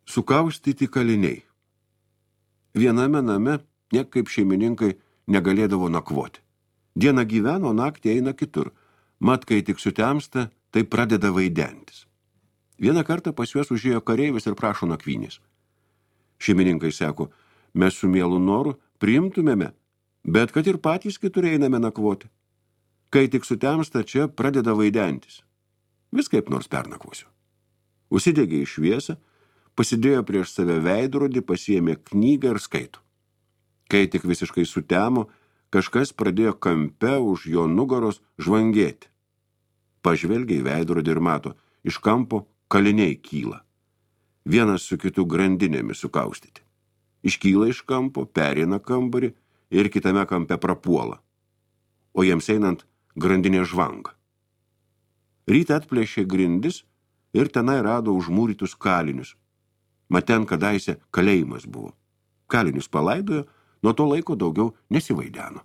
Sukaustyti kaliniai. Viename name niekaip šeimininkai negalėdavo nakvoti. Dieną gyveno, naktį eina kitur. Mat, kai tik sutemsta, tai pradeda vaidentis. Vieną kartą pas juos užėjo kareivis ir prašo nakvynės. Šeimininkai sako, mes su mielu noru priimtumėme, bet kad ir patys kitur einame nakvoti. Kai tik sutemsta, čia pradeda vaidentis. Vis kaip nors pernakvosiu. Užsidegė į šviesą, pasidėjo prieš save veidrodį, pasiėmė knygą ir skaito. Kai tik visiškai sutemo, kažkas pradėjo kampe už jo nugaros žvangėti. Pažvelgia į veidrodį ir mato, iš kampo kaliniai kyla. Vienas su kitu grandinėmis sukaustyti. Iškyla iš kampo, pereina kambarį ir kitame kampe prapuola. O jiems einant grandinė žvanga. Rytą atplėšė grindis ir tenai rado užmūrytus kalinius. Mat ten kadaise kalėjimas buvo. Kalinius palaidojo, nuo to laiko daugiau nesivaideno.